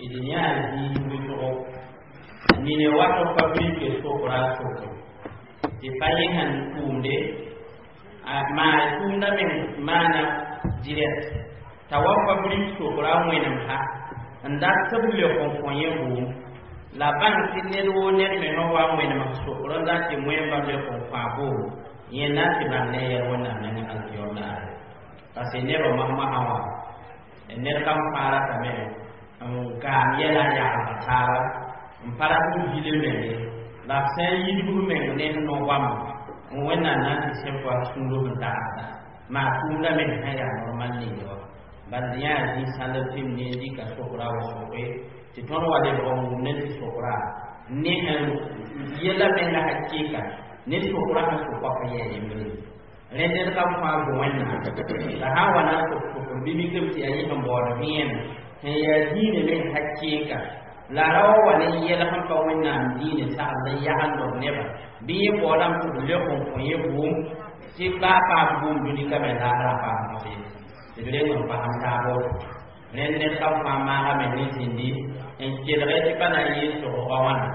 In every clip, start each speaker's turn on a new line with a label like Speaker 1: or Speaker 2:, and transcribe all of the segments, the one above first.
Speaker 1: D yãa zĩig wʋsgo nine wato fabrique sokra soke tɩ pa yẽ sẽn tʋʋmde maa tʋʋmda meng maana direct t'a wa fabrique sokra wẽnem ha n dat tɩ b leok n kõ yẽ bʋʋm la bãng tɩ ned woo ned mengã wa wẽnem sokr n dat tɩ wẽmba leok n kõ a boom yẽ na n tɩ bãng ne yɛl wẽnnaam nengẽ alkiyom daare parce que nebã masmasã wã ned kam fãa ratame n gaam yɛla n yagelga taaba n pa rat n vile menge la b sã n yidg b meng ne no-goamã n wẽnnaam na n tɩ sẽn pa sũurã sẽn tagsda maa tʋʋmda meng sã yaa normal ninge wã bala yã yaa zĩ-sãnd tɩ m ne n dɩka sokra wa soke tɩ tõnd wa lebg n wʋm ne tɩ sokra ne sẽn yɛla menga hakɩɩka ne sokra sẽn sokpaka yɛa yembre rẽ ned kam fãa zo wẽnnaam la sã n wa na n sok sokr bɩ mikame tɩ yaa yẽ sẽn baood vẽenem sẽn yaa diinã meng hakɩɩka la ra wa wa ne yɛl sẽn pa wẽnnaam diinã sagl n yagend b nebã bɩ yẽ baoodame tɩ b leok n kõ yẽ bʋʋm tɩ baa paam bʋʋm dũni ka me laasrã paam mosẽ tɩ d reng n pasem taab woto rẽnd ned kam fãa maagame ne zĩndi n kelge tɩ pa na n yɩɩ sogga wãna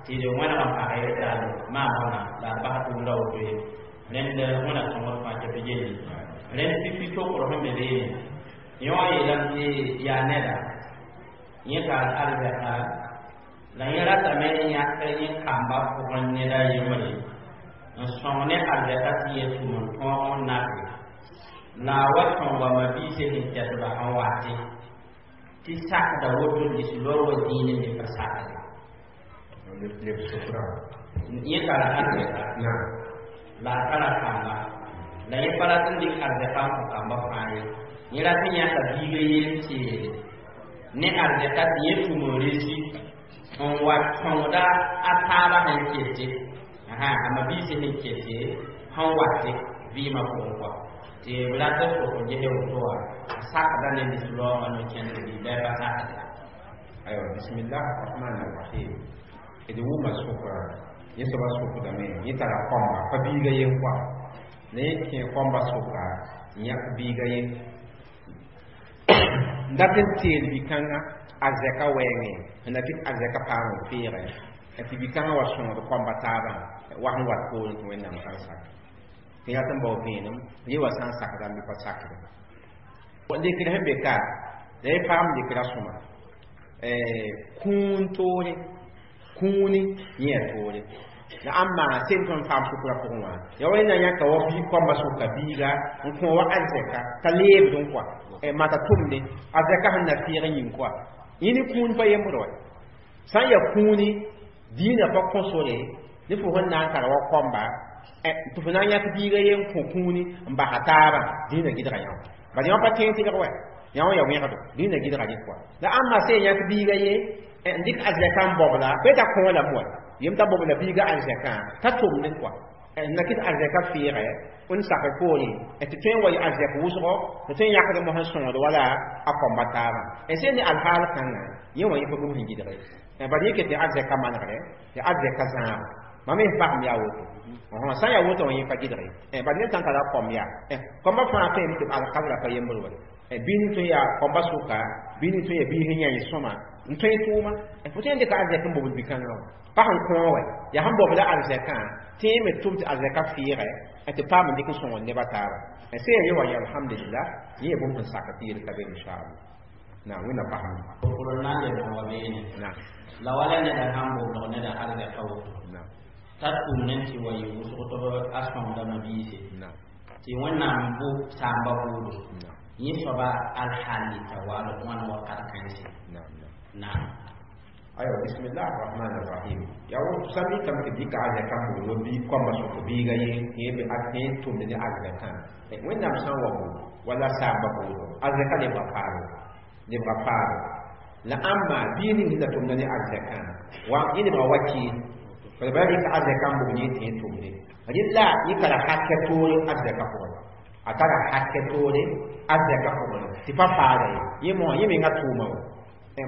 Speaker 1: tɩ d wẽneg n page taal maam wãna la d bas tʋʋmda woto ye rẽnd wẽna sõngd fãa tɩ b yelli rẽnd pipi sokr sẽn be beene yẽ wã yeelame tɩ yaa neda yẽ tar arzɛka la yẽ ratame n yãk yẽ kamba pʋgẽ ned a yembre n sõng ne arzɛka tɩ yẽ tʋm n tõog n nake la a wa sõnga mabiisã sẽn kɛtba sẽn wate tɩ sakda woto lislaoor wa dĩinẽ me pa sakde yẽ tara arzɛka la a tara kamba la yẽ pa rat n dɩk arzɛka n kõ kamba fãa ye yẽ rat n yãka biiga yeel teede ne arzɛka tɩ yẽ tʋm n resi n wa sõngda a taabã sẽn kete a mabiisã sẽn kete sẽn wate vɩɩmã pʋgẽ kɔa tɩ b rat n sok n ges woto wã a sakda ne lislaoongã no-kẽndr bɩ bɩ pa sakde.
Speaker 2: Aywa, bismillah rahman rahim. D wʋma sokra yẽ soaba sokdame yẽ tara kõmba pa biiga yen kɔa la yẽ kẽ kõmba soka n yãk biiga ye n dat n teel bi-kãngã arzɛka wɛɛngẽ sẽn na kɩt arzɛka paam n feegɛ tɩ bi-kãngã wa sõngd kõmba taabã wa sẽn wat poorẽ tɩ wẽnnaam sã n sak tɩ yaa tɩ n bao vẽenem yẽ wa sã n sakdame bɩ pa sakde lekr sẽn be ka la yẽ paam lekra sõma kũun toore kũuni yẽ yaa toore la ãmba sẽn tõnd paam sʋkra pʋgẽ wã yaa wa na yãka wa bi kõmba sʋka biiga n kõ wa arzɛka t'a leebd n kɔa mata tʋmde arzɛka sẽn na fɩɩg n yĩng kɔa yẽ ne kũun pa yembd wa sã n yaa kũuni dĩinã pa kõ sore ne fo sẽn na n tara wa kõmba tɩ fo na n yãk biiga ye n kõ kũuni n basa taabã dĩinã gɩdga yã wã bala yã pa tẽeg tɩlg wa yã wã yaa wẽgdo dĩinã gɩdga rɩk kɔa la ãmba sẽn yãk biiga ye n dɩk arzɛka n bobla pa t'a kõo lame wa yem t'a bobla biiga arzɛkã t'a tʋmd kɔa n na kɩt arzɛka fɩɩgɛ n sak poorẽ tɩ tõe n wa yɩ arzɛk wʋsgo tɩ tõe n yãkd mos n sõngd wala a kõmba taabã n sẽn ne alhaal kãngã yẽ wã yẽ pa bũmb sẽn gɩdge bala yẽ ket tɩ arzɛka manegre tɩ arzɛka zãag mam me pasem yaa woto sã n yaa woto wã yẽ pa gɩdge bala ned sã n tara kõm yaa kõmba fãa tõeme tɩ alkabra pa yembr wa bɩ ning tõe yaa kõmba sʋka bɩ ning tõe yaa biis n yã sõma n tõe tʋʋma fo tõe n dɩka arzɛk n bobl bi-kãngã wã pa sẽn kõo wɛ yaa sẽn bobla arzɛkã tẽe me tʋm tɩ arzɛka fɩɩgɛ tɩ paam n dɩk n sõngd nebã taaba sẽn yaa ye wa yã alhamdulillah yẽ yaa bũmb sẽn sak tɩ yel ka be inchallah na wẽnna pasem
Speaker 1: sokr n na n lebg wa beene la wala neda sãn boblg neda arzɛka woto t'a tʋm ne tɩ wa yɩ wʋsg tɩ b a sõngda mabiise tɩ wẽnnaam bʋ saamba bʋʋdo yẽ soaba alhalli t'a waal wãn wakat kãense naam.
Speaker 2: Aywa, bismillah rahman rahim. Yaa woto sã mikame tɩ dɩka arzɛka n bobl wa bi kõmba sʋk biiga ye yẽ be a tẽ tʋmd ne arzɛkã wẽnnaam sã n wa bo wala saamba bʋʋdo arzɛka lebga paalo lebga paalo la ãmba bii ning sẽn da tʋmda ne arzɛkã wa yẽ lebga wakɩɩl bala bala rɩka arzɛka n bobl yẽ tẽ tʋmde rɩla yẽ tara hakɛ toore arzɛka pʋgẽ a tara hakɛ toore arzɛka pʋgẽ tɩ pa paada ye yẽ mo yẽ menga tʋʋma wa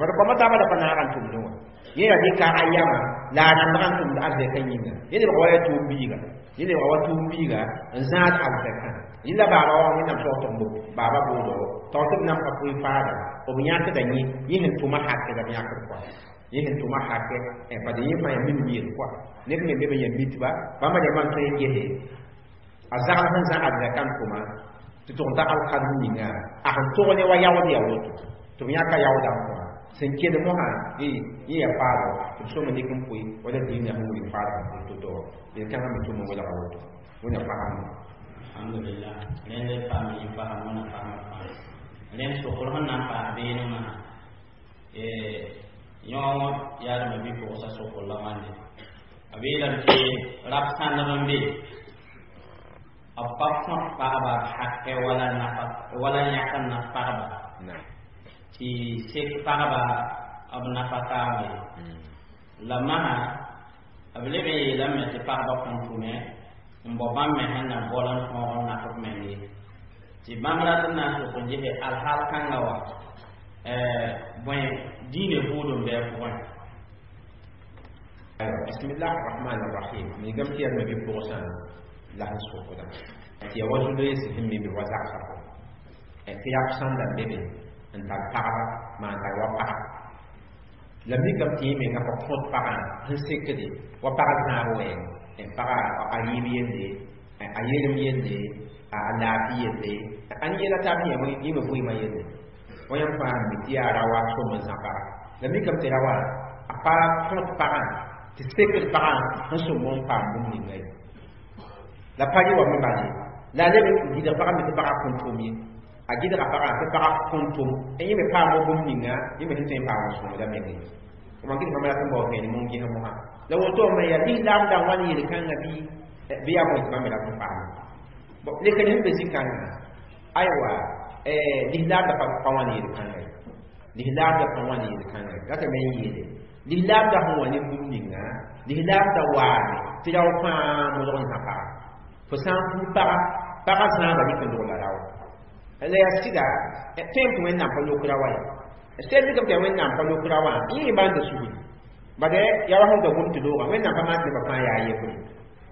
Speaker 2: bala kõma taabã da pa naag n tʋmdẽ wã yẽ ra dɩka a yama La a rãmbga n tʋmd arzɛkã yĩnga yẽ lebga wa yaa tʋʋm biiga yẽ lebga wa tʋʋm biiga n zãad arzɛkã yẽ la baaba wa wẽnnaam soag tɩ b baaba boodo tao tɩ b nan pa pʋɩ faaga b yãkda yẽ yẽ sẽn tʋma hakɛ la b yãkd kɔa yẽ sẽn tʋma hakɛ bad yẽ fãa yaa min yel kɔa neb me be b yã mitba bãmba rãmbã n tõe n gese a zagl sẽn zã arzɛkã n tʋma tɩ tʋg n ta alkadem ninga a sẽn tog ne wa yaood yaa woto tɩ b yãka yaoodã n kõ sẽn kell mosã yẽ yaa faago tɩ b sõma nek n pʋɩ wala diinã sẽn wilg faadg n pʋɩ to-to yel-kãngã me tʋm n welga woto wẽna fasam.
Speaker 1: Alhamdulillah, rẽnd paam yĩ fasam wẽna fasmã fãa rẽnd sokr sẽn na n paas beene masã yõ yaadmã bɩ-pʋgsa sokr la wãnde a beelame tɩ rab sãndb n be b pa kõt pagba hakɛ wala nafa wala yãk n naf pagba tɩ sek pagba b nafa taaba ye la masã b leb n yeelame tɩ pagba kõn tʋme n bao bãmb me sẽn na bol n tõog n naf b meng ye tɩ bãmb rat n na n sok n gese alhaal kãnga wa bõe diine buud n bɩ a pʋgẽ.
Speaker 2: Bismillah rahman rahim migame tɩ yaa nabi pʋgsã la sẽn sokda tɩ yaa wa zu-loees sẽn mi wa zagsã tɩ yaa sãnda n be be n tar pagba maan tar wa paga la mikame tɩ yẽ menga pa kõt pagã sẽn sekde wa pag zãab wɛɛng paga a yɩɩb yelle a yelem yelle a laafɩ yelle a yɛla taab yẽ me vɩɩmã yelle wa yãmb fãa mi tɩ yaa ra wa sõm n zã paga la mikame tɩ ra wa a pa kõt pagã tɩ sekd pagã sẽn sõm n paam bũmb ninga ye la pa rɩ wa me bale la a leb n gɩdg pagã me tɩ pagã kõn tʋm ye a gɩdga pagã tɩ pagã kõn tʋm yẽ me paam bũmb ninga yẽ me sẽn tõe n paam n sõmda meng ye mam gɩd bãmb rat n bao vẽenem n ges mosã la woto me yaa lislaam da n wa ne yel-kãngã bɩ yaa bõe tɩ bãmb rat n paam lekr sẽn be zĩ-kãngã aywa lislaam da pa wã ne yel-kãngã ye lislaam da pa wã ne yel-kãngã ye ratame n yeele lislaam da sẽn wa ne bũmb ninga lislaam da waame tɩ rao fãa modg n zã paga fo sã n puu paga paga zãaba rɩk n dog la rao la yaa sɩda tõem tɩ wẽnnaam pa lok ra wa ye sel mikame tɩ yaa wẽnnaam pa lok ra wã yẽ bãnda sugri bad yaa wa sẽn da gom tɩ looga wẽnnaam pa maan tɩ nebã fãa yaa yebre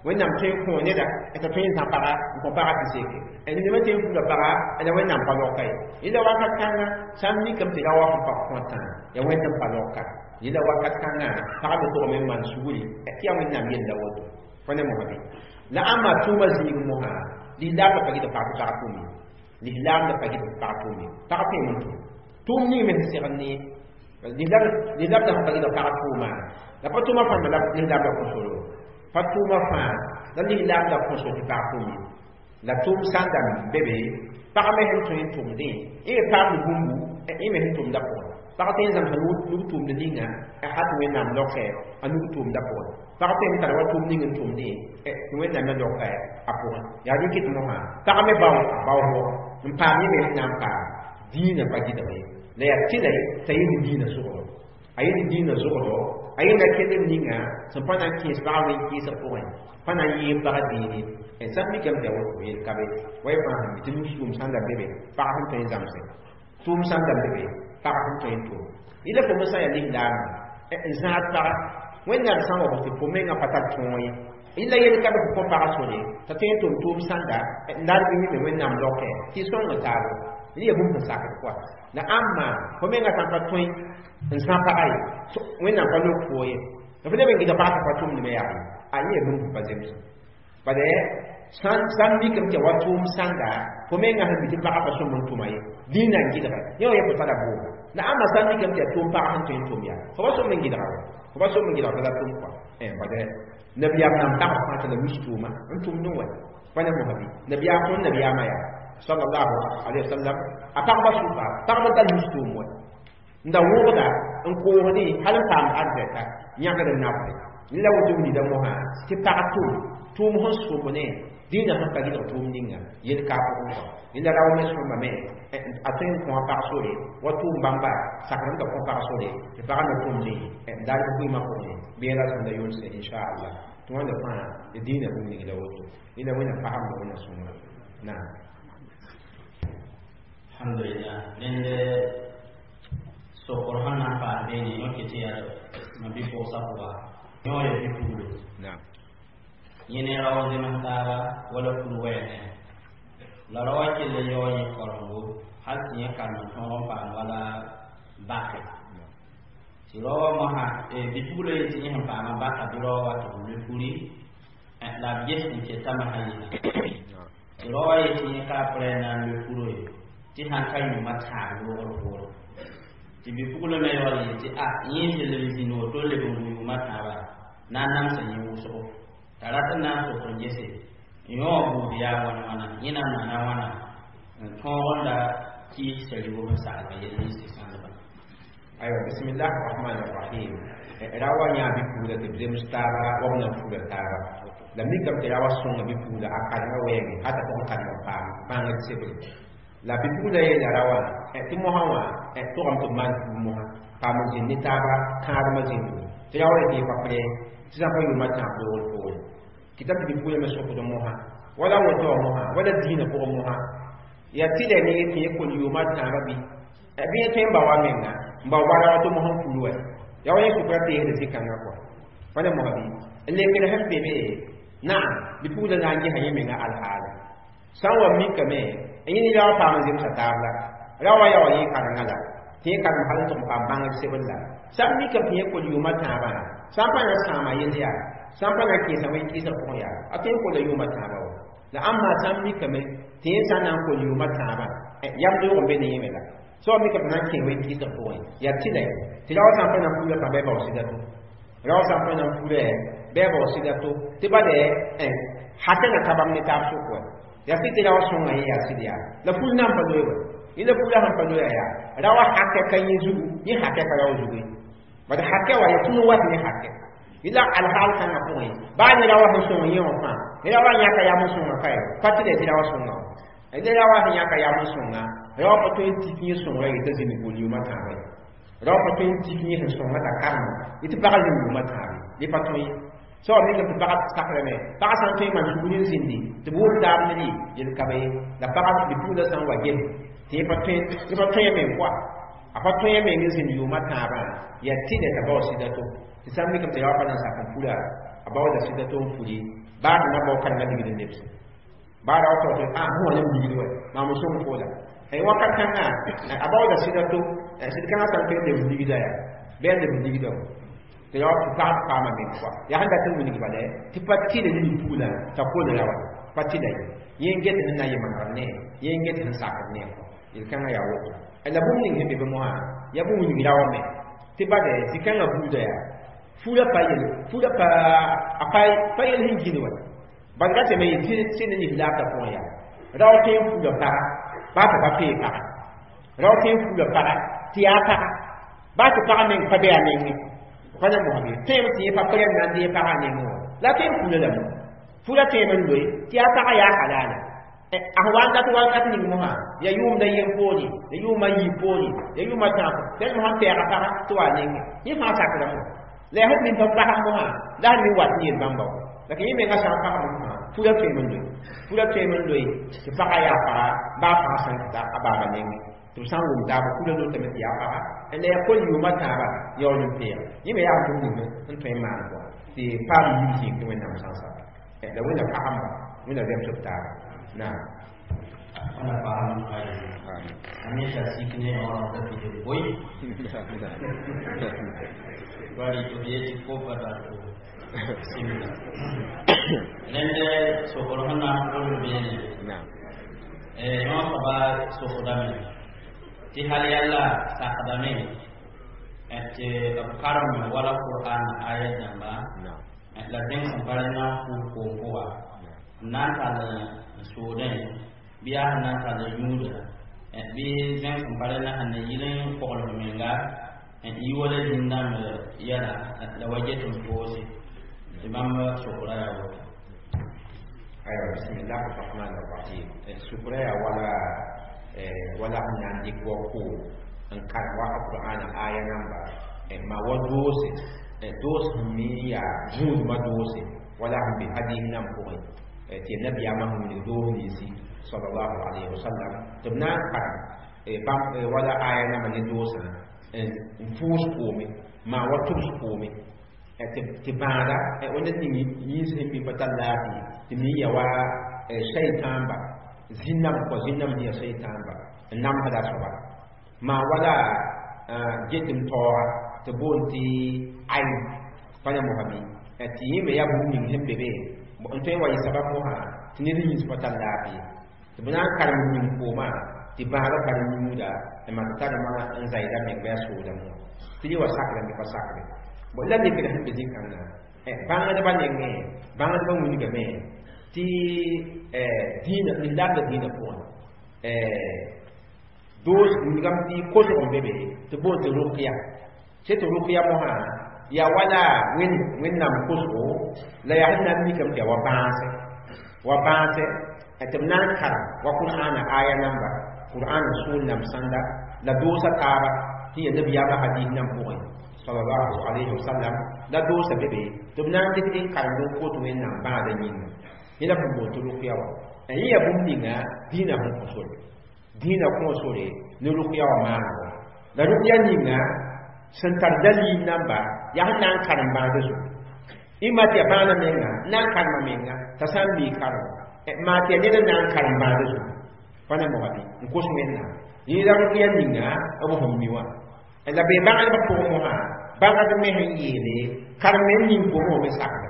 Speaker 2: wẽnnaam tõe n kõ neda t'a tõe n zã paga n kõ paga tɩ seke ned me tõe n fuuda paga la wẽnnaam pa loka ye yẽla wakat kãnga sã n mikame tɩ ra wa sẽn pa kõtã yaa wẽnd n pa loka yẽla wakat kãngã pagã me togame n maan sugri tɩ yaa wẽnnaam yella woto fo ne mosã bɩ la ãmba tʋʋma zĩig mosã lislaam da pa gɩd pag tɩ pag tʋʋm ye lislaam da pa gɩd pag tʋʋm ye pag tõe n tʋm tʋʋm ning me sẽn segd ne lislaam da sẽn pa gɩd pag tʋʋma la pa tʋʋma fãa la lislaam da kõsoro pa tʋʋma fãa la lislaam da kõso tɩ pag tʋʋm ye la tʋʋm sã n da be be pag me sẽn tõe n tʋmdẽ yẽ me paamd bũmbu yẽ me sẽn tʋmda pʋgẽ pag tõe n zãmsa nug tʋʋmd ninga hal tɩ wẽnnaam loke a nug tʋʋmda pʋgẽ pag tõe n tara wa tʋʋm ning n tʋmdẽ tɩ wẽnnaam me loka a pʋgẽ yaa rɩkɩ tɩ mosã pag me bao baoosgo n paam yẽ me sẽn na n paam dĩinã pa gɩdg ye la yaa tɩla t'a yẽ ne dĩinã sʋgdo a yẽ ne dĩinã zʋgdo a yẽ na kell n ninga sẽn pa na n kẽes pagã wẽn kẽesg pʋgẽ pa na n yɩɩg pagã dĩine sã n mikame tɩ yaa woto yel ka be wa y fãa sẽn mi tɩ nus-tʋʋm sãn da be be pag sẽn tõe n zãmse tʋʋm sãn da be be pag sẽn tõe n tʋʋm yẽla fo me sã n yaa lislaamã n zãad paga wẽnnaam sã n wa tɩ fo menga pa tar tõog ye yẽla yel ka be fo kõ pagã sore t'a tõe n tʋm tʋʋm sãnda n larg yẽ me wẽnnaam loke tɩ y sõng taabo yẽ yaa bũmb sẽn sakd kɔa la ãmba fo menga sã n pa tõe n zã paga ye wẽnnaam pa lok fo ye la fo leb n gɩdg pagã t'a pa tʋmdme yaa ye a yẽ yaa bũmb sẽn pa zems bad sã n mikame tɩ wa tʋʋm sãnda fo menga sẽn mi tɩ pagã pa sõm n tʋma ye dĩinã n gɩdga yẽ wã yẽ fo tara boogo la ãmba sã n mikame tɩ yaa tʋʋm pagã sẽn tõe n tʋm yaa fo pa sõm n gɩdga wa fo pa sõm n gɩdga t'a la tʋm kɔa bad nabiyaam nan tag fãa tɩ la wis tʋʋma n tʋmdẽ wa pa ne mosã bɩ nabiyaam tõnd nabiyaamã yaa sallallahu alaihi wasallam a pagba sʋka pagba da wis tʋʋm wa n da wʋgda n koosdẽ hal n paam arzɛka yãgd n nabde la woto wilda mosã tɩ pag tʋm tʋʋm sẽn sõm ne dĩinã sẽn pa gɩdg tʋʋm ninga yel ka pʋgẽ kɔ yẽla rao me sõma me a tõe n kõ a pag sore wa tʋʋm bãmba sakr n da kõ pag sore tɩ pagã me tʋmdẽ n darg vɩɩmã pʋgẽ bɩ yẽla sõmda yʋnse inchallah tɩ wãnda fãa tɩ dĩinã bũmb ning la woto yẽla wẽna fasemda wẽna sõngra naam.
Speaker 1: Alhamdulillah, rẽnd sokr sẽn na n paas beene yõke tɩ yaa ma bi-pʋgsa pʋga Yõ ya bi-puglo. Yẽ ne rao zems taaba wala fur wɛɛne la rao kell n yao yẽ karengo hal tɩ yẽ karem n tõog n paam wala bake tɩ rao wã mosã bi-puglo yetɩ yẽ sẽn paama baka bɩ rao wa tɩ b loe furi la b ges n ketame sã yɩla tɩ rao wã yetɩ yẽ ka prɛ n na n loe furo ye tɩ sãn ka yũuma tãab loogr poore tɩ bi-puglo me yaool yetɩ a yẽ sẽn leb zĩnd woto n leb n gu yʋʋma tãaba na n namsa yẽ wʋsgo t'a rat n na n sok n gese yõ buud yaa wãna wãna yẽ na n maana wãna n tõog n da kɩɩs sarigo n saglg yell n sɩ sãndba.
Speaker 2: Aywa, bismillah rahman rahim. Rawa yã bi-pugla tɩ b zems taaba wa b nan fura taaba la mikame tɩ rawa sõnga bi-pugla a karengã wɛɛngẽ hata tɩ b kareng n paam bãngd sebre la bi-pugla yeela rawa tɩ mosã wã togame tɩ b maan fuug mosã paam n zĩnd ne taaba kãadmã zĩndu tɩ rawa yetɩ pa prɛ tɩ sã pa yʋʋmã tãab loogr poore kɩta tɩ bi-pugla me sokd mosã wala woto wã mosã wala diinã pʋgẽ mosã ya tɩlɛ ne tɩ yẽ kol yʋʋmã tãabã bɩ bɩ yẽ tõe n ba wa menga n ba wara wa tɩ mosã n pul wa ya wa yẽ sʋkra teesd zĩ-kãngã kɔa pa ne mosã bɩ n lekd sẽn be be naam bi-pugla na n gesa yẽ menga alhaala sã n wa mikame n yẽ ne rawa paam n zemsa taab la rawa ya wa yẽ karengã la tɩ yẽ karem hal n tʋg n paam bãngd sebr la sã n mikame tɩ yẽ kol yʋʋmã tãabã sã n pa na sãama yell yaa sã n pa na kẽesã wẽn-kɩɩsg pʋgẽ yaa a tõe n kola yʋʋmã tãabã wa la ãmba sã n mikame tɩ yẽ sã n na n kol yʋʋmã tãabã yam doog n be ne yẽ me la sã wa mikame tɩ na n kẽ wẽn-kɩɩsg pʋgẽ yaa tɩlɛ tɩ rawa sã n pa na n pula fãa bɩ a bao sɩda to rawa sã n pa na n pulɛ bɩ a bao sɩda to tɩ ba dɛ hakɛ na ka bãmb ne taab sʋk wa yaa sɩd tɩ rawa sõnga yẽ yaa sɩd yaa la ful na n pa loe wa yẽ la fula sẽn pa loeya yaa rawa hakɛ ka yẽ zugu yẽ hakɛ ka rao zugu ye bad hakɛ wa yaa tũnu wat ne hakɛ yẽla alhaal kãngã pʋgẽ baa ne rawa sẽn sõng yẽ wã fãa ne rawa yãka yam n sõnga kae pa tɩ tɩ rawa sõnga wã ne rawa sẽn yãka yam n sõnga rawa pa tõe n tik yẽ sõngra yetã zĩnd gol yʋʋmã tãabã ye rawa pa tõe n tik yẽ sẽn sõnga t'a karema yetɩ pagã zĩnd yʋʋmã tãabe dẽ pa tõe ye sã wa mikame tɩ pagã sakrame pagã sã n tõe n maan sugr n zĩndi tɩ b wʋm taab ne rɩ yel ka be ye la pagã bi-pugla sã n wa ges tɩ yẽ pa tõe meng koa a pa tõe meng n zĩnd yʋʋmã tãabã yaa tɩlɛ t'a bao sɩda to tɩ sã n mikame tɩ rawa pa na n sak n pura a baooda sɩda to n puri baa tɩ na bao karengã ligd n lebse baa rawa tao tɩ a fõ wã nem ligd wa maam n sõng fo la wakat kãngã a baooda sɩda to sɩd kãngã sã n tõe n lebs ligda yaa bɩ a lebs ligda wa tɩ rawa tɩ pag paama meng koa yaa sẽn dat n wilg bala tɩ pa tɩlɛ ne bi-pugla t'a kol rawa pa tɩla ye yẽ n get ne na yemengr ne yẽ n get sẽn sakd ne yel-kãngã yaa woto la bũmb ning sẽn be be mosã yaa bũmb wilg rawa me tɩ bade zĩ-kãngã buuda yaa fura pa yel fura pa a pa yel sẽn gĩd wa bad ra tɩ me yetɩ sẽn ne nif laabdã pʋgẽ yaa rao tõe n fura paga baa tɩ pa pee paga rao tõe n fura paga tɩ yaa paga baa tɩ pagã meng pa be a nengẽ pa na mosã bɩ tõeme tɩ yẽ pa prɛm na n dee pagã nengẽ wã la tõe n fura lame fura tõeme n loe tɩ yaa pagã yaa halala a sẽn wa n dat wakat ning mosã yaa yʋʋmda yen poore ya yʋʋma yiib poore ya yʋʋma tãab tɩ mosã n pɛɛga paga tɩ wa nengẽ yẽ fãa sakrame la yaa sẽn min pa pasam mosã la sẽn min wat n yel bãmba wa la yẽ menga sã n pasam mosã fura tõeme n loe fura tõeme n loe tɩ pagã yaa paga baa fãa sã n kɩta a baaba nengẽ tɩ b sã n wʋm taaba fura lotame tɩ yaa paga la yaa kol yʋʋma tãaba yaool n peeg yẽ me yaa bũmb ning n tõe n maan kɔa tɩ paam yib zĩig tɩ Wẽnnaam sã n saka la Wẽnna pagamba Wẽnna zemsb taaba naam.
Speaker 1: Wẽnna paam a sik ne yõor t'a pid n boe bari tɩ b yetɩ kopa dato simla rẽnd sokr sẽn na n gʋls beene yõ soaba sokdame tɩ hal yalla sakdame tɩ b karem wala Qur'an aya dãmba la zẽng sẽn pa rẽ na n fuug koom pʋga n na n tall n soodẽ bɩ yaa sẽn na n tall n yũuda bɩ zẽng sẽn pa rẽ na sẽn na yil n kogl f menga yi wala zĩn-dãmb yɛla la wa get n poose tɩ bãmb sokra yaa woto.
Speaker 2: Aywa, bismillah rahman rahim. Sukra ya wala wala sẽn na n dɩk wa koom n karem wa Qur'ana aya namba ma wa doose doos sẽn mi yaa gũudmã doose wala sẽn be hadis nan pʋgẽ tɩ nabiyaamã sẽn wilg doos ninsi sallallahu alayhi wa sallam tɩ b na n karem bãmb wala aya namba ne doosã n pʋʋs koome maa wa tʋbs koome. Tɩ bãada wẽnd ning yĩns sẽn bɩ pa tar laafɩ tɩ mi ya wa shaytãmba zĩnnam kɔ zĩnnam sẽn ya shaytãmba n namsda soaba maa wala getm taooga tɩ boond tɩ ayn pa ne mosã bɩ tɩ yẽ me yaa bũmb ning sẽn be be n tõe n wa yɩ sabab mosã tɩ ned yĩns pa tar laafɩ tɩ b na n karem ning koomã tɩ bãadã tar n yũuda n maan tɩ tarmã n zaɩda meng bɩ a soodame tɩ yẽ wa sakrame bɩ pa sakre. Bon la lekr sẽn be zĩ-kãngã bãngdbã nengẽ bãngdbã wilgame tɩ dĩinã lislaamdã dĩinã pʋgẽ doos wilgame tɩ kosg n be be tɩ boond tɩ rʋkya sẽn tɩ rʋkya mosã yaa wala wẽnnaam kosgo la yaa sẽn na n mikame tɩ yaa wa bãase tɩ b na n karem wa qur'aana aya namba qur'aana sool nam sãnda la doosa taaba tɩ ya nabiyaamã hadis nam pʋgẽ sallallahu alayhi wa sallam la doosa be be tɩ b na n dɩk n karemd n kot wẽnnaam bãada yĩnga yẽ la b sẽn boond tɩ rʋkya wã yẽ yaa bũmb ninga dĩinã sẽn kõ sore dĩinã kõ sore ne rʋkya wã maanego la rʋkya ninga sẽn tar dalil namba yaa sẽn na n karem bãada zugu ɩma tɩ yaa bãada menga n na n karema menga t'a sã n mii karem maa tɩ yaa ned n na n karem bãada zugu pa ne moga bɩ n kos wẽnnaam yẽ la rʋkya ninga b sẽn mi wã la be bãngdbã pʋgẽ mosã bãngd me sẽn yeele karem n ning koomẽ wã me sakda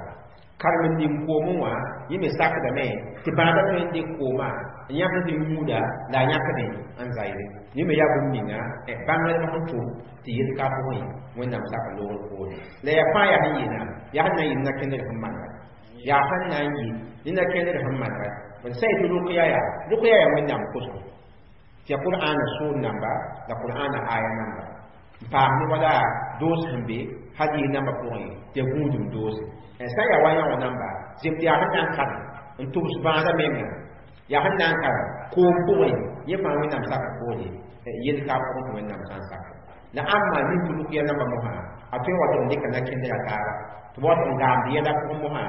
Speaker 2: karem n ning koomẽ wã yẽ me sakdame tɩ bãadã tõe n dɩk koomã n yãkd tɩ yũuda la a yãkdẽ n zaɩre yẽ me yaa bũmb ninga bãngdbã sẽn tʋm tɩ yel ka pʋgẽ wẽnnaam sak loogr poore la yaa fãa yaa sẽn yeelã yaa sẽn na n yɩ na-kẽndr sẽn manega yaa sẽn na n yɩ ne na-kẽndr sẽn manega b sã yetɩ rʋkya yaa wẽnnaam kosgo tɩ yaa qur'aana soor namba la qur'aana aya namba n paas ne wala doos sẽn be hadis namba pʋgẽ tɩ yaa gũudum doose sã n yaa wa yã wã namba zem tɩ yaa sẽn na n karem n tʋbs bãadã menga yaa sẽn na n karem koom pʋgẽ yẽ fãa wẽnnaam sak poore yel ka pʋgẽ tɩ wẽnnaam sã n sak la ãmba nin tɩ rʋkya namba mosã a tõe n wa tɩ n dɩka na-kẽndra taaba tɩ b wa tɩ n gaamd yɛla pʋgẽ mosã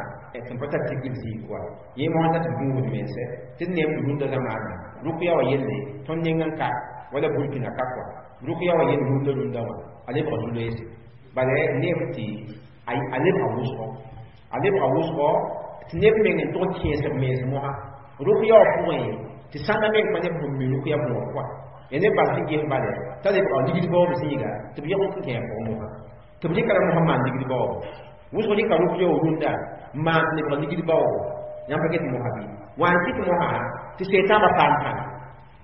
Speaker 2: tɩ n pa tar tikr zĩig wa yẽ mosã dat n gũusd mense tɩ d neem rũndã zamaana rʋkya wã yelle tõnd neng n ka wala burkina ka kɔa rʋkya wã yell rũndã rũndã wã a lebga zu-loeese bala neem tɩ a lebga wʋsgɔ a lebga wʋsgɔ tɩ neb meng n tʋg kẽes b mens mosã rʋkya wã pʋgẽ tɩ sãnda meng pa neb sẽn mi rʋkya võor kɔa ya neb bal sẽn ges bala t'a lebga ligd baoob zĩiga tɩ b yeg n kẽ a pʋgẽ mosã tɩ b rɩka la mosã n maan ligd baoobo wʋsg rɩka rʋkya wã rũndã n maan tɩ lebg ligd baoobo yãmb pa get mosã bɩ wã n kɩt mosã tɩ seetãambã paam pãnga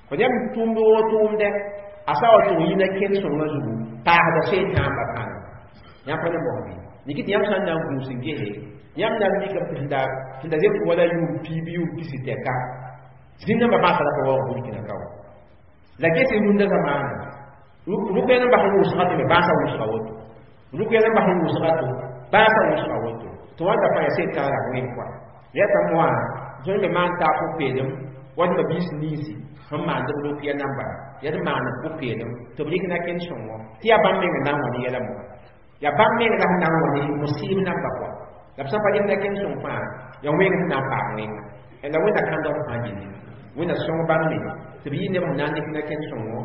Speaker 2: fo yãmb tʋʋmd woo tʋʋmdɛ a sa wa tʋg yĩna kẽnd sõngã zugu paasda seetãambã pãnga yãmb pa ne mosã bɩ niki tɩ yãmb sã n na n gũus n gese yãmb na n mikame tɩ sẽn da zems wala yʋʋm piib yʋʋm pisi tɛka zĩn-nambã bãasa la pa waoog burkina ka wã la ges rũndã zamaana rʋkya nambã sẽn wʋsga tɩ me bãasa wʋsga woto rʋkya nambã sẽn wʋsga to bãasa wʋsga woto tɩ wãnda fãa yaa seetã la wẽn kɔa yɛta moã tõnd me maan taab pʋ-peelem wa d mabiis ninsi sẽn maand b rʋkya namba yaa d maan pʋ-peelem tɩ b rɩk na-kẽnd sõngo tɩ yaa bãmb meng n na n wa ne yɛla moã yaa bãmb meng la sẽn na n wa ne musɩɩb namba kɔa la b sã n pa rɩk na-kẽnd sõng fãa yaa wẽng sẽn na n paam wẽnga la wẽnna kãndg fãa gilli wẽnna sõng bãmb me tɩ b yɩ neb sẽn na n dɩk na-kẽnd sõngo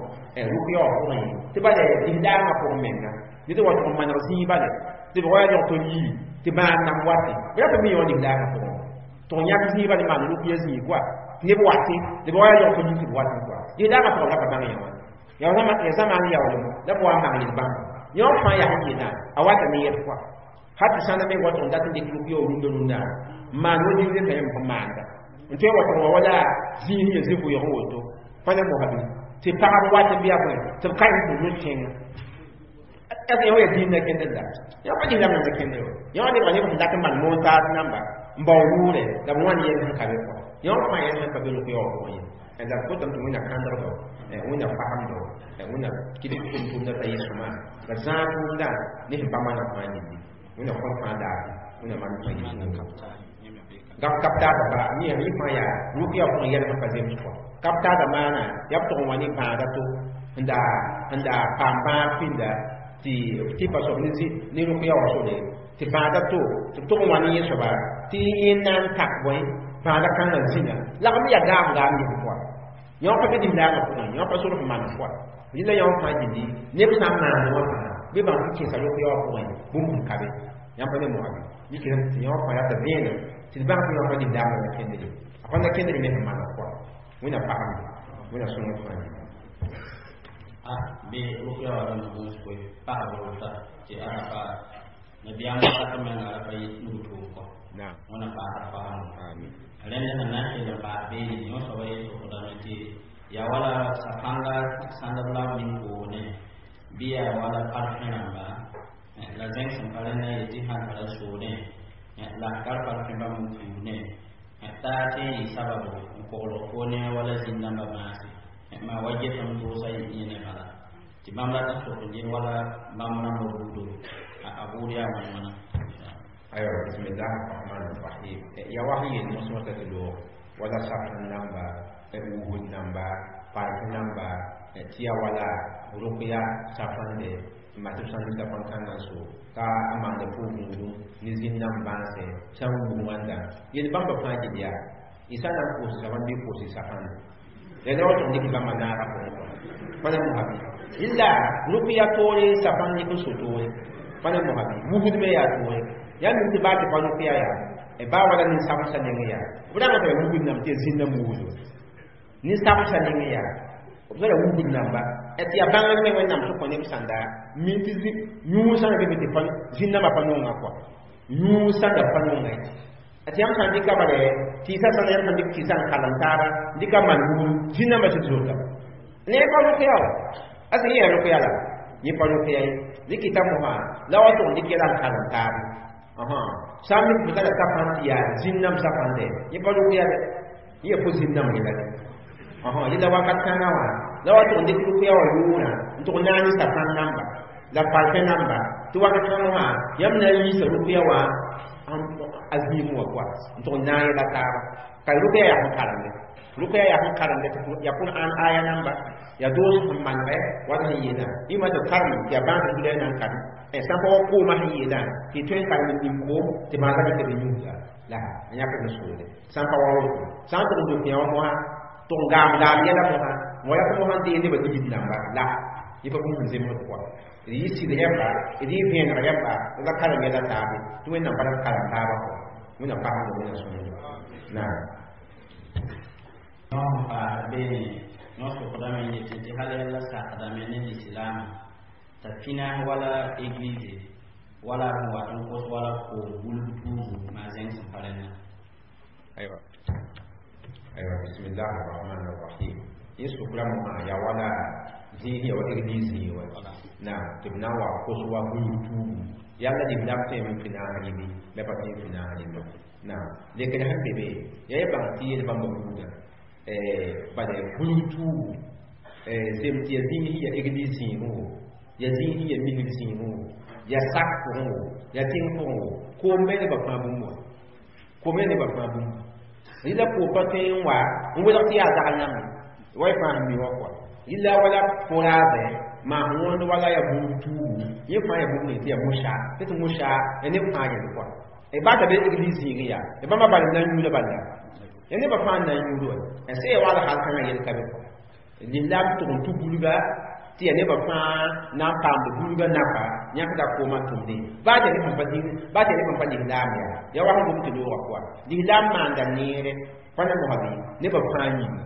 Speaker 2: rʋkya wã pʋgẽ tɩ bala dĩm-daangã pʋgẽ menga ned wa tʋg n maneg zĩig bala tɩ b wa yaa log tɩ yii tɩ bãad nam wate b yaa tɩ mi wã dĩm-daangã pʋgẽ tɩ yãk zĩig bala maan rʋkya zĩig kɔa neb wate tɩ b wa yaa log tɩ yii tɩ b watẽ kɔa dĩm-daangã pʋgẽ la pa bãng yã wã yaa zamaan yaoolem la b wa n mang yel-bãmba yõ fãa yaa sẽn yeelã a wata ne yɛl kɔa hal tɩ sãnda meng wa tʋg n dat n dɩk rʋkya wã rũndã rũndã n maan wa zĩig reta yãmb sẽn maanda n tõe n wa tʋg wa wala zĩig sẽn ya zĩ-vʋʋg n woto pa ne mosã bɩ tɩ pagb wat n bɩ yaa bõe tɩ b karem tɩ no-kẽngã yã wa yaa dĩin na kẽndr la yã pa dĩn lam na kẽndr wa yã wã nebga neb sẽn dat n maan moon-taas namba n bao yʋʋrɛ la b wãn yɛl sẽn ka be kɔa yã wã fãa yɛl sẽn pa be rʋkya wã pʋgẽ ye la b kotame tɩ wẽnna kãndgdo wẽnna fagemdo wẽnna kɩdg tʋm-tʋmdã t'a yɩ sõma la zãag tʋʋmdã ne sẽn pa maneg fãa yĩndi wẽnna kõn fãa daare wẽnna maneg fãa yɩ gap kaptaada ba yẽ yẽ fãa yaa rʋkya pʋgẽ yɛl sẽn pa zems kɔa kaptaada maana yaa b tʋg n wa ne bãada to n da paam bãag pĩnda tɩ tɩpa soab ne rʋkya wã sore tɩ bãada to tɩ b tʋg n wa ne yẽ soaba tɩ yẽ na n tak bõe bãada kãngã zĩna lagm yaa gaam gaam yẽ pʋga yõ pa be dĩm-daagã pʋgẽ yõ pa sor sẽn maan pʋga rẽnda yõ fãa gilli neb sã n maand wã fãa bɩ bãmb tɩ kẽesa rʋkya wã pʋgẽ bũmb sẽn ka be Yãmb pa ne moabi dɩk tɩ yõ fãa yaa t'a vẽenem tɩ d bãng tɩ yõ pa lislaamã la kẽndre a pa na kẽndre me sẽn maneg kɔa wẽnna pagemde wẽnna sõng d fãa
Speaker 1: a bɩ rʋkya wa rãmb gũus koe pagb rota tɩ a pa nabiyaam wakat menga a pa yit nug tʋʋm kɔ
Speaker 2: naam
Speaker 1: wẽna paasd faamdo
Speaker 2: amin
Speaker 1: rẽnd sẽn na n kell n paas beene yõ soaba yel sokdame tɩ yaa wala safãnga sãndb la b min koone bɩ yaa wala parfẽ rãmba la zẽng sẽn pa rẽnda yetɩ sãn tara soodẽ la kar parfẽ bãmb n puusdẽ t'a tɩ n yɩ sababo n koglg koone wala zĩn-dãmbã maase maa wa getame doosa yẽne bala tɩ bãmb rat n sok n ges wala bãmb rãmbã buudo a buud yaa wãn wãna.
Speaker 2: Aywa, bismillah arrahman arrahim. Ya wa yel mosmata tɩ loog wala safn namba, wugd namba, park namba, tɩ ya wala rʋkya safãnde n maa tɩ b sãn dɩka pãn-kãngã so ka a maanda pʋʋg-gũudum ne zĩn-dãmb bãase sã n wug wãnda yel bãmba fãa gil yaa y sã na n koos safãn bɩ koos safãnde la ne wa tʋg dɩk bãmba naaga pʋgẽ kɔ pa na mosa bɩ rɩla rʋkya toore safãn dɩk n so toore pa na mosa bɩ wugd me yaa toore yaa mim tɩ baa tɩ pa rʋkya yaa baa wala nin-sabsã neng yaa b rãnga t'a wugd nam tɩ ya zĩn-dãmb wugdo nin-sabsã neng yaa b zara wugd namba tɩ yaa bãngr me wẽnnaam sẽn kõ neb sãnda min tɩ yũud sãnda be tɩ zĩn-dãmbã pa nonga kɔa yũud sãnda pa nonga ye tɩ yãmb sã n dɩka bale tɩɩsã sãnda yãmb sã n dɩk tɩɩsã n kalem taaba dɩka maan wugdu zĩn-dãmbã sɩd zota ne pa rʋkya wa a sẽn yẽ rʋkya la yẽ pa rʋkya ye dɩk t'a mosã la wa tʋg n dɩk yɛla n kalem taaba sã n mik fo tara safãn tɩ yaa zĩn-dãmb safãnde yẽ pa rʋkya dɛ yẽ fo zĩn-dãmb yɛla dɛ yẽla wakat kãngã wã la wa tʋg n dɩk rʋkya wã yʋʋrã n tʋg naag ne safãn namba la parfẽ namba tɩ wakat kãngã wã yãmb na n yiisa rʋkya wã a zĩig wã pʋa n tʋg n naag yɛla taaba ka rʋkya yaa sẽn karemde rʋkya yaa sẽn karemde tɩ yaa Qur'an aya namba yaa doos sẽn manegɛ wat sẽn yeelã yĩma tɩ karem tɩ yaa bãas n na n karem sã n pa wa koomã sẽn yeelã tɩ y tõe n karem n ning koom tɩ maasa dɩk tɩ yũuda la a yãk n soode sã n pa wa woto sã n tʋg n dok yã wã mosã tʋg n gaam laam yɛla mosã n wa yaa tɩ mosã n deeg nebã ligd namba la yẽ pa bũmb sẽn zemsd pʋga d yɩ sɩd yãmba d yɩ vẽeneg yãmba la karem yɛla taabe tɩ wẽnnaam pa rat karem taabã pʋga wẽnnaam pasemda wẽnna sõngdo naam.
Speaker 1: Yõ sẽn paasd beene yõ sokdame n yetɩ tɩ hal yalla sakdame ne lislaamã t'a pĩna wala église wala sẽn wat n kos wala koom bulb tuubu maa zẽng sẽn pa rẽnna.
Speaker 2: Aywa aywa, bismillah arrahman arrahim. Yẽ sokra mosã yaa wala zĩig ya wa église zĩig wa naam tɩ b na n wa kos wa bulb tuubu yalla lislaam tõeme n pĩnaas rɩbi la pa tõe n pĩnaas rɩbi naam lekr sẽn be be yaa y bãng tɩ yel bãmba buudã bala bulg tuubu zem tɩ ya zĩig ya église zĩigẽ wo ya zĩig ya misg zĩigẽ wo ya sak pʋgẽ wo ya tẽng pʋgẽ wo koom me nebã fãa bũmb wã koom ya nebã fãa bũmb rɩla koom pa tõe n wa n welg tɩ yaa zagl yãmb wa y fãa sẽn mi wã kɔa rɩla wala fo-raasẽ maa sẽn wõnd wala ya bulg tuubu yẽ fãa ya bũmb ning tɩ ya mosã tɩ tɩ mosã ya neb fãa yẽl kɔa b baa t'a be église zĩigẽ yaa bãmba bal n na n yũuda bala ya nebã fãa n na n yũud wa sẽn ya wagl hal kãngã yel ka be kɔa lislaam tʋg n tʋ bulga tɩ ya nebã fãa na n paamd bulga napa yãkda koomã tʋmde baa tɩ neb sẽn pa zĩig baa tɩ neb sẽn pa lislaam yaa ya wa sẽn gom tɩ loogã pʋga lislaam maanda neere pa na mosã bɩ nebã fãa yĩnga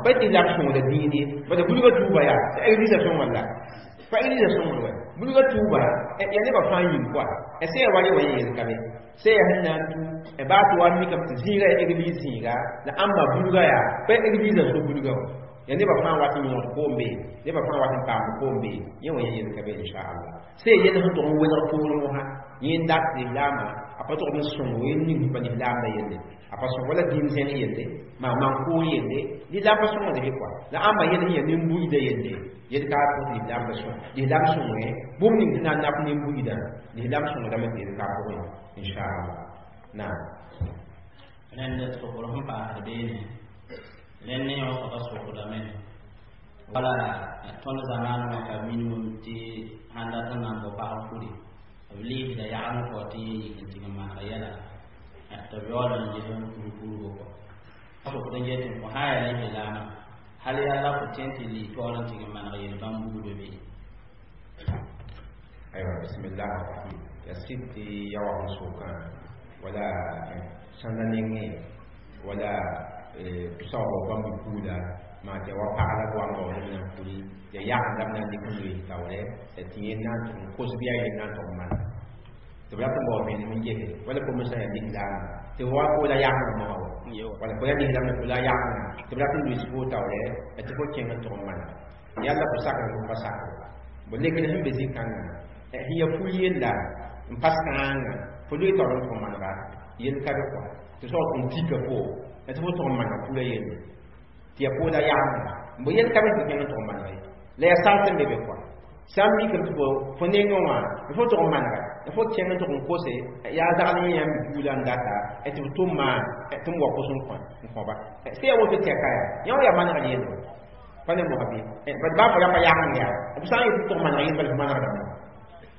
Speaker 2: pa tɩ lislaam sõngda dĩin ye bala bulga tuuba yaa église sõngr la pa église sõngr wa bulga tuuba ya nebã fãa yĩng kɔa sẽn ya wa ye wa yeel ka be sẽn ya sẽn na n tu baa tɩ wa mikame tɩ zĩiga ya église zĩiga la ãmba bulga yaa pa église so bulga wa ya nebã fãa wat n yõod koom be nebã fãa wat n paamd koom be yẽ wã yẽ yel ka be inchallah sẽn yel sẽn tʋg n welg poorẽ wã yẽ n dat lislaamã a pa tʋgd n sõngo yẽ ning pa lislaamda yelle a pa sõng wala dĩin zẽng yelle maa man-koor yelle lislaam pa sõngd bɩ kɔa la ãmba yel sẽn yaa nin-buiidã yelle yel ka pʋs lislaamda sõng lislaam sõngẽ bũmb ning tɩ na n nap nin-buiidã lislaam sõngdame tɩ yel ka pʋgẽ inchallah naam.
Speaker 1: Rẽnd sokr sẽn paasd beene rẽnd ne yõ soaba sokdame wala tõnd zamaan wã ka minimum tɩ sãn dat n na n bao pagb furi b liisda yagd n kao tɩ yẽ yik n tɩg n maneg yɛla tɩ b yaool n ges n pur purgo kɔ sokd n get n fo sã n yaa lislaamã hal yaa la fo tõe n tɩ lii taoor n tɩg n maneg yel bãmb buudã bee.
Speaker 2: Aywa, bismillah rahim ya sɩd tɩ ya wa sʋkã wala sãnda nengẽ wala saoog bãmb puuda maa tɩ wa pag la b wa n baood b na n puri ya yagenda b na n dɩk n loees taoorɛ tɩ yẽ na n tʋg n kos bɩ a yel na n tʋg n mana tɩ b rat n bao vẽenem n gese wala fo me sã yaa lislaamba tɩ fo wa poola yagenga mosã wa wala fo yaa lislaam fo la yagenga tɩ b rat n loees fo taoorɛ tɩ fo kẽng n tʋg n mana yalla fo sakr fo pa sakr bo lekd sẽn be zĩ-kãngã sẽn ya ful yella n pas kãanga fo loe taoor n tʋg n manega yel ka be kɔa tɩ soab n tika fo tɩ fo tʋg n manega fula yelle tɩ ya poola yagenga bo yel ka be tɩ kẽng n tʋg n manega ye la ya sar sẽn be be kɔa sã n mikame tɩ fo nengẽ wã fo tʋg n manega fo kẽng n tʋg n kose yaa zagl yẽ yãmb buudã n data tɩ b tʋm maan tɩ m wa kos n kõ n kõba sẽn ya woto tɛka yaa yã wã yaa manegr yelle pa ne moga bɩ bad baa fo yaa pa yageng yaa b sã n yet tɩ tʋg maneg yel bala fo manegdame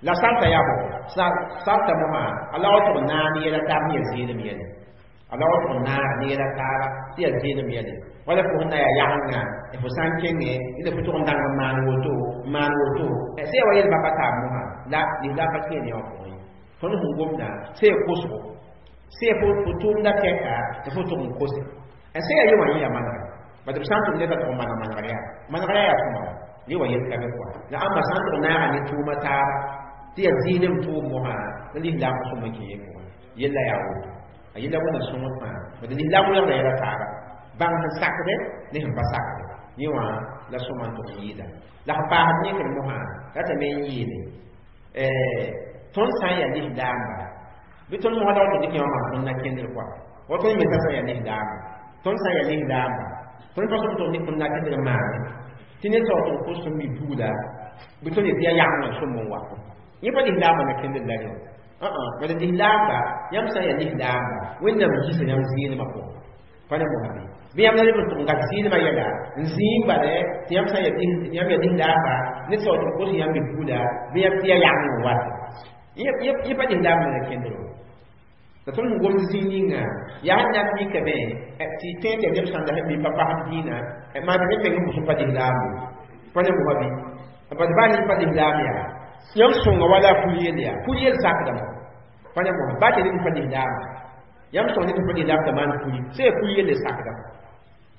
Speaker 2: la sarta yaa bõ sarta mosã a la wa tʋg naag ne yɛla taab ne yaa zɩɩlem yɛle a la wa tʋg naag ne yɛla taaba tɩ yaa zɩɩlem yɛle wala fo sẽn na yaa yagenga fo sã n kẽngẽ la fo tʋg n dãng n maan woto maan woto sẽn ya wa yel bapa taab mosã la lislaam pa kẽe ne wã pʋgẽ tõnd sẽn gomda sẽn ya kosgo sẽn ya fo tʋʋmda tɛka tɩ fo tʋg n kose sẽn ya ye wã yẽ yaa manegre bad b sã n tʋm ned a tʋg maneg manegr yaa manegr yaa sõma wa ne wa yel ka be kɔa la ãmba sã n tʋg naaga ne tʋʋma taaba tɩ yaa zɩɩlem tʋʋm mosã la lislaam pa sõm n kẽ ye pʋgẽ yella yaa woto a yella wẽnna sõngd fãa bad lislaam welgda yɛla taaba bãng sẽn sakde ne sẽn pa sakde yẽ wã la sõma n tʋg n yɩɩda la sẽn paasd yẽkr mosã ratame n yeele tõnd sã n yaa lislaamba bɩ tõnd mosã la wa tɩ dɩk yã wã maan tõnd na kẽndr kɔa wa tõnd me sã yaa lislaamba tõnd sã n yaa lislaamba tõnd pa sõm tɩ dɩk tõnd na kẽndr n maane tɩ ned sao tɩ kos tõnd mi buuda bɩ tõnd yetɩ yaa yagengã sõm n wa yẽ pa lislaambã na kẽndr la rẽ bala lislaamba yãmb sã n yaa lislaamba wẽnnaam yisa yãmb zɩɩlmã pʋgẽ pa ne mosã bɩ bɩ yãmb na leb n tʋg n gat zɩɩlmã yɛla n zĩig bale tɩ yãmb sã n yãmb yaa lislaamba ned sao tɩ kos yãmb mi buuda bɩ yãmb tɩ yaa yageng n wat yẽ pa lislaambã na kẽndr la tõnd sẽn gomd zĩig ninga yaa sẽn na n mikame tɩ tõe tɩ neb sãn da mi pa pasd dĩinã maa tɩ neb meng n bʋs n pa lislaambo pa ne mosã bɩ bad baa ned pa lislaam yaa yãmb sõnga wala a pul yell yaa pul yell sakdame pa ne mosã baa tɩ ned n pa lislaama yãmb sõng ned n pa lislaam t'a maan puli sẽn yaa pul yelle sakdame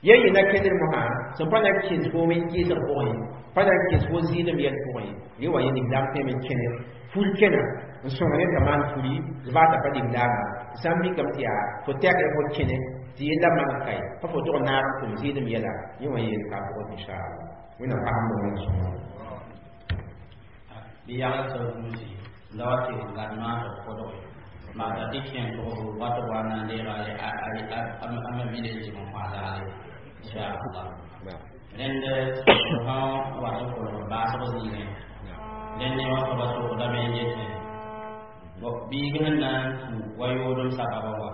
Speaker 2: yẽ yɩ na kẽndr mosã sẽn pa na n kẽes foom n kɩɩsg pʋgẽ pa na n kẽes fo zɩɩlem yɛl pʋgẽ yẽ wa yẽ lislaam tõeme n kẽne ful kẽna n sõng ned t'a maan fuli baa t'a pa lislaama sã n mikame tɩ yaa fo tɛkr fo kẽne tɩ yella maneg kae pa fo tʋg naag n tʋm zɩɩlem yɛla yẽ wã yeel ka pʋgẽ inchallah wẽnnaam pasem b wẽn sõngo
Speaker 1: bɩ yagl sã duusi la wa tɩ gad maasg kodge maata tɩ kẽ tʋgb wa tɩ wa na n deega a ma mile zɩg n kõ a zaale inchallah rẽnd sã wat n kolg baasg zĩigẽ rẽnd ne wã soaba sokdame n yetẽ biig sẽn na n tũ wa yoodem sababa wa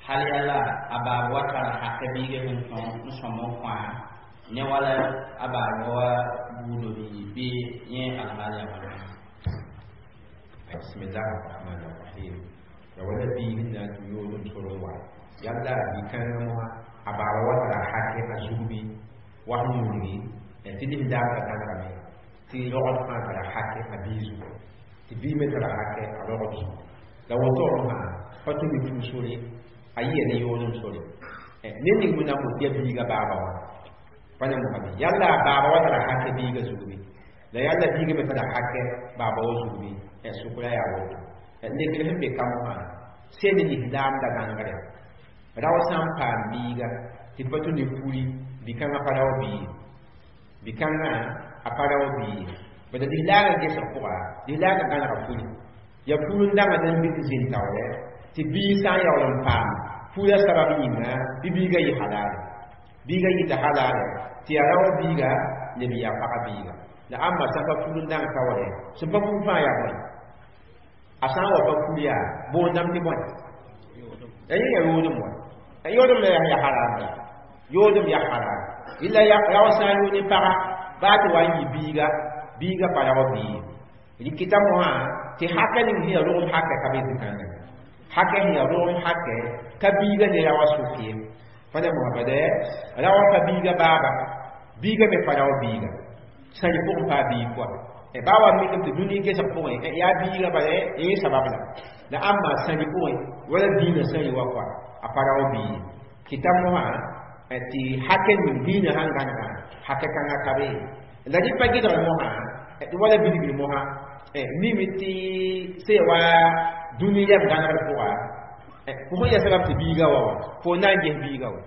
Speaker 1: hal yala a baab wa tara haka biiga sẽn tõng n sõm n kõa ne wala a baab wa buudo bii bɩ yẽ alhaal yaa wãna.
Speaker 2: Bismillah ar-rahman ar-rahim ya wala biig n na n tũ yoodem sor n wa yalla bi-kãngã mosã a baaba wa tara hake a zug bɩ wa sẽn wilgi tɩ lislaam ka tãnegame tɩ rogd fãa tara hake a bii zugu tɩ bii me tara hake a rogd zugu la woto mosã pa tũ mi puu sore a yɩa ne yoodem sore ned ning wẽnnaam bot tɩ yaa biiga baaba wã pa ne mosã bɩ yalla a baaba wa tara hake biiga zug bɩ la yalla biiga me tara hake baaba wa zug bɩ sʋkra yaa woto lekr sẽn be ka mosã sẽn ne lislaam da gãnegre rao sã n paam biiga tɩ pa tũ ne puri bi-kãngã pa rao bii bi-kãngã a pa rao bii bad lislaagã gesg pʋga lislaagã gãnega puri ya pur n dãnga n mik zĩn taoorɛ tɩ biig sã n yaool n paam purã sabab yĩnga bɩ biigã yɩ halaale biigã yɩta halaale tɩ yaa rao biiga leb yaa paga biiga la ãmba sã n pa pur n dãng taoorɛ sẽn pa pur fãa yaa bõe a sã n wa pa pur yaa boondame tɩ bõe ya yẽ yaa yoodem wa yoodem la yaa haram yoodem yaa haram illa rao sã n yood ne paga baa tɩ wa n yɩ biiga biiga pa rao bii rikita mosã tɩ haka ning sẽn yaa rogem hakɛ ka be zĩ-kãngã hakɛ sẽn yaa rogem hakɛ ka biiga ne raoã sʋk ye pa ne mosã bad raoã pa biiga baaba biiga me pa rao biiga sã yɩ pʋgẽ paa biig pʋa Ba wa mikame tɩ dũni gesg pʋgẽ yaa biiga bala yẽ sabab la ãmba sãri pʋgẽ wala dĩinã sãri wa kɔa a pa rao bii kɩta mosã tɩ hakɛ ning dĩinã sãn gãnega hakɛ kãngã ka be la rɩ pa gɩdgr mosã wala bilgr mosã mime tɩ sẽn ya wa dũni yɛm gãnegr pʋga fo sẽn ya sabab tɩ biiga wa wã fo na n ges biiga wa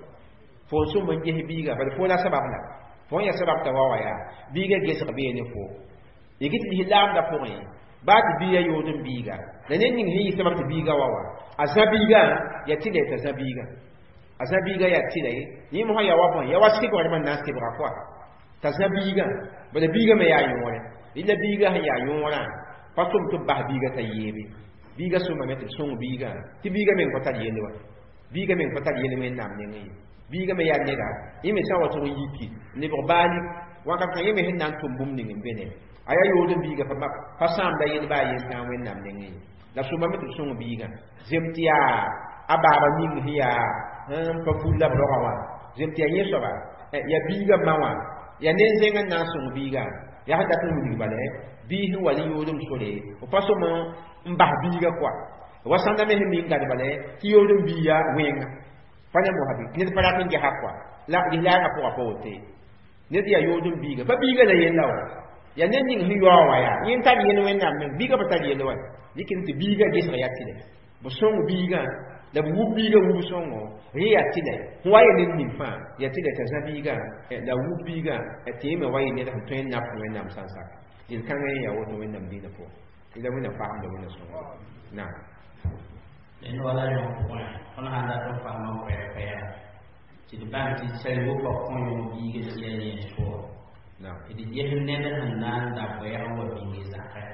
Speaker 2: fo n sõm n ges biiga bala fo la sabab la fo n ya sabab t'a wa wa yaa biiga gesg bee ne fo y gɩt lis laamdã pʋgẽ baa tɩ biiga yood n biiga la ned ning sẽn yɩ sabab tɩ biiga wa wa a zã biigã yaa tɩ la t'a zã biiga a zã biiga yaa tɩ la ye yẽ mosã yaa wa bõe yaa wa sɩbgrmã n na n sɩbga koa t'a zã biigã bala biiga me yaa yõore rɩla biiga sẽn yaa yõorã pa tʋm tɩ b bas biiga t'a yeebe biiga sõmame tɩ b sõng biigã tɩ biiga meng pa tar yelle wa biiga meng pa tar yelle wẽnnaam nengẽ ye biiga me yaa neda yẽ me sã n wa tʋg n yiki n lebg baalik wakat kã yẽ me sẽn na n tʋm bũmb ning n be ne a yaa yood n biiga pa sãamda yel baa yen tãag wẽnnaam nengẽ ye la sõmame tɩ b sõng biigã zem tɩ yaa a baaba ning sẽn yaa n pa ful la b roga wã zem tɩ yaa yẽ soaba yaa biiga ma wã yaa nen-zẽng n na n sõng biigã yaa sẽn dat n wilg bala bii sẽn wa ne yoodem sore f pa sõm n bas biiga koa wa sãnda me sẽn ming gad bala tɩ yoodem biiga wẽnga pa ne mosã bɩ ned pa rat n gesa koa la lislaangã pʋgã pa wote ned yaa yoodem biiga pa biiga la yella wa yaa ned ning sẽn yaoog wã yaa yẽ n tar yel wẽnnaam meng biiga pa tar yell wa dɩk tɩ biiga gesg yaa tɩlɛ b sõng biigã la b wub biiga wub sõngo rẽ yaa tɩlɛ sẽn wa yɩ ned ning fãa yaa tɩlɛ t'a zã biigã la wub biigã tɩ yẽ me wa yɩ ned sẽn tõe n nap wẽnnaam sã n sak yel-kãngã yẽ yaa woto wẽnnaam dĩinã pʋgẽ la wẽnnaam fagemda wẽnna sõngo naam
Speaker 1: dẽnd wala yõ pʋgẽ tõnd sãn dat n faama koɛɛg-koɛɛga tɩ d bãng tɩ sal wʋka kõ yõ biiga tɩ yaa yẽes pʋgẽ tɩ d ges ned sẽn na n da koɛɛg n wa bĩnge zakẽ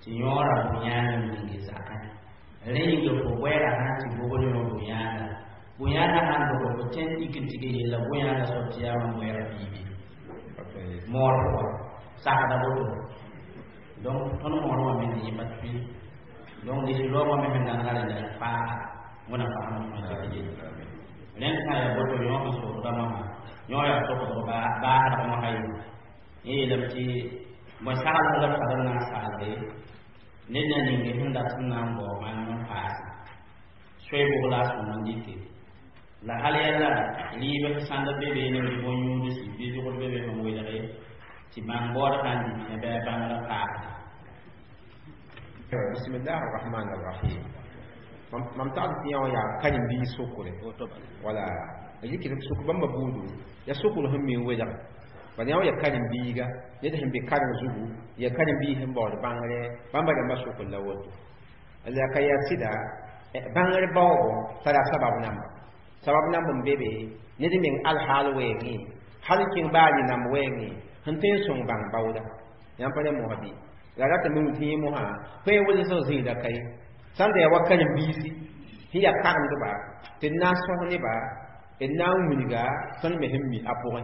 Speaker 1: tɩ yõora bũ-yãang n bĩnge zakẽ rẽ yĩnga fo bʋɛɛga sãn tɩ bogd yõ bũ-yãanga bũ-yãanga sãn dog fo tõe n ik n tɩg yella bũ-yãanga soab tɩ yaa mam bʋɛɛg biibe moor pʋgã sakda woto donc tõnd moor wã me yẽ pa tʋɩ donc lislaoogã me sẽn gãnega rẽnda yaa faaga wẽna fasem tõe tɩ yelle rẽnd sã yaa boto yõ sẽn sokda mosã yõ yaa sokdg baasdg mosã ye yẽ yeelame tɩ bõe saglg la b tar n na n saglde ned na ninge sẽn dat n na n bao bãmb n paase soe bʋg la a sõng n dɩke la hal yɛla rɩɩb sãnd be beene bɩ bõn-yũudsi bɩ zʋgd be be sẽn welge tɩ bãng baood sã n dɩtẽ bɩ a bãngrã paasda
Speaker 2: bismillah arrahman arrahim mam tagd tɩ yã wã yaa karen-biis sokre wala yikd tɩ sok bãmba buudu yaa sokr sẽn mi n welge bala yã wã yaa karen-biiga ned sẽn be kareng zugu yaa karen-biis sẽn baood bãngre bãmba rãmbã sokr la woto la ka yaa sɩda bãngr baoogo tara sabab namba sabab namb n be be ned meng alhaal weengẽ hal n kẽng baa rɩ-namb weengẽ sẽn tõe n sõng bãng baooda yãmb pa ne mosã bɩ la ratame tɩ yẽ mosã tõe n welsg zĩigda ka ye sãn da yaa wa karen-biisi sẽn yaa karemdba tɩ d na n sõs neba d na n wilga tõnd me sẽn mi a pʋgẽ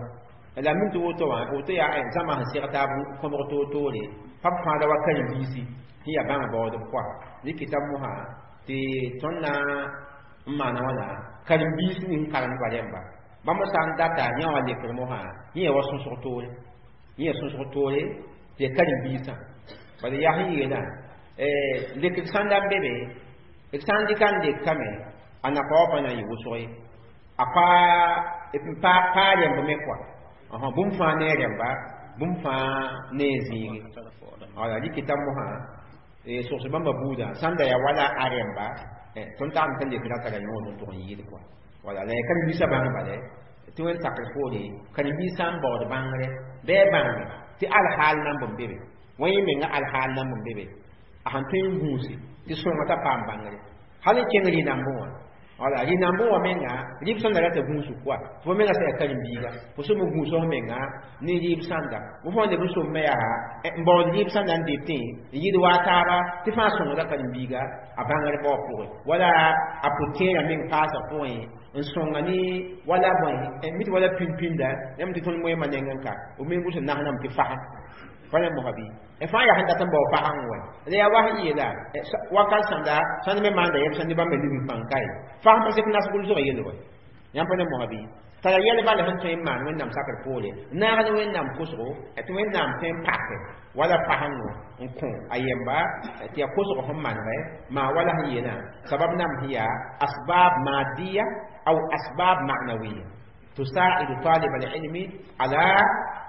Speaker 2: la min tɩ woto wã woto yaa zãma sẽn seg taab kõbg toor-toore pa b fãada wa karen-biisi sẽn yaa bãng baoodb koa dɩkɩta mosã tɩ tõnd na n maana wãna karen-biis ning karemdba rẽmba bãmb sã n data yã wã lekr mosã yẽ yaa wa sõsg toore yẽ yaa sõsg toore tɩ yaa karen-biisã bala yaa sẽn yeelã lekd sãnda n be be d sã n dɩka n lekame a napa wã pa na n yɩ wʋsg ye a paa rẽmb me koa bũmb fãa ne a rẽmba bũmb fãa ne a zĩige wala rɩkɩta mosã sogs bãmba buudã sãn da yaa wala a rẽmba tõnd tagm t'a lekra tara yõod n tʋg n yɩɩd koa wala la yaa karen-biisã bãng bala tɩ wẽn sakr poore karen-biisã n baood bãngre bɩ a bãnge tɩ alhaal namb n be be wã yẽ menga alhaal namb n be be a sẽn tõe n gũuse tɩ sõnga t'a paam bãngre hal n kẽng rɩ-nambẽ wã wala rɩ-nambẽ wã menga rɩb sãnda rata gũusg koa tɩ fo menga sã yaa karen-biiga fo sõm n gũus f menga ne rɩɩb sãnda fo fãa leb n somme yaa n baood rɩɩb sãnda n detẽ n yɩɩd waa taaba tɩ fãa sõngda karen-biiga a bãngr bao pʋgẽ wala a pʋ-tẽerã meng paasg pʋgẽ n sõnga ne wala bõe mit wala pĩnd-pĩnda yãmb tɩ tõnd moeemã nengẽ ka b me gʋs n nasname tɩ fasem pa ne mosã bɩ fãa yaa sẽn dat n bao fasem wɛ la yaa wa sẽn yeela wakat sãnda sãnd me maanda yɛb sẽn ne bãmba ligd pãng ka ye fasem pa sek nas gʋlsg yell wɛ yãmb pa ne mosã bɩ Tara yɛl bala sẽn tõe n maan Wẽnnaam sakr poore, naag ne Wẽnnaam kosgo, tɩ Wẽnnaam tõe n pake wala fasengo n kõ a yemba tɩ yaa kosg sẽn manegɛ maa wala sẽn yeelã sabab nam sẽn yaa asbab madiya aw asbab ma'nawiya تساعد طالب العلم على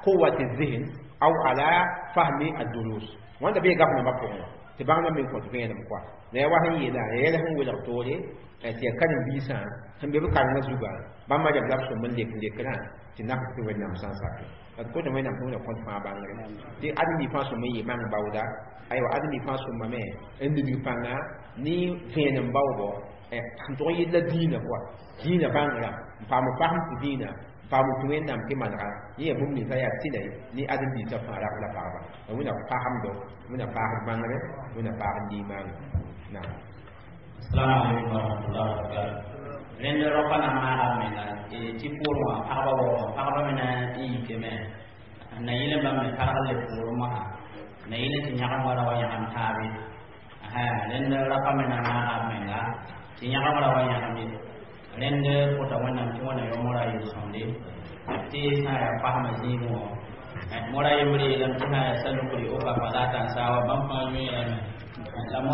Speaker 2: قوة الذهن أو على فهم الدروس. wãnda bee gaf nambã pʋgẽ tɩ bãngdã me n kõt vẽenem koa la ya wa sẽn yeela ya yɛl sẽn welg toore tɩ yaa karen-biisã sẽn be b karengã zugã bãmba rem la b sõm n lek lekrã tɩ nak tɩ Wẽnnaam sã n sake d kota Wẽnnaam tɩ Wẽnna kõt fãa bãngre tɩ ãdem-bi fãa sõm n yɩ mang baooda. Aywa, ãdem-bi fãa sõmame n lidg pãnga ne vẽenem baoobo sẽn tʋg n yɩl la dĩinã koa dĩinã bãngrã n paam fasem tɩ dĩinã n paam tɩ Wẽnnaam tɩ manega yẽ yaa bũmb ninsã yaa tɩla ne ãdem-biisã fãa rab la pagba. Wẽnna pasemdo, Wẽnna paasd bãngre, Wẽnna paasd limaanga naam.
Speaker 1: Assalamu alaikum warahmatullahi wabarakatuh. Rẽnd rapa na maaga menga tɩ poorẽ wã pagba waoogã pagba me na n yikame na yɩl n bãmb me targ le poorẽ mosã na yɩl tɩ yãgem wala wa yãgem taabe. Rẽnd rapa me na maaga menga tɩ yãgem ra wa yãgem ye. Rẽnd kota Wẽnnaam tɩ Wẽnna yõ mora yel-sõmde tɩ sã n yaa fasmã zĩigẽ wã mora yembre yeelame tɩ sã n yaa salukri o ka fa la tãnsawa bãmb fãa yõeerame la.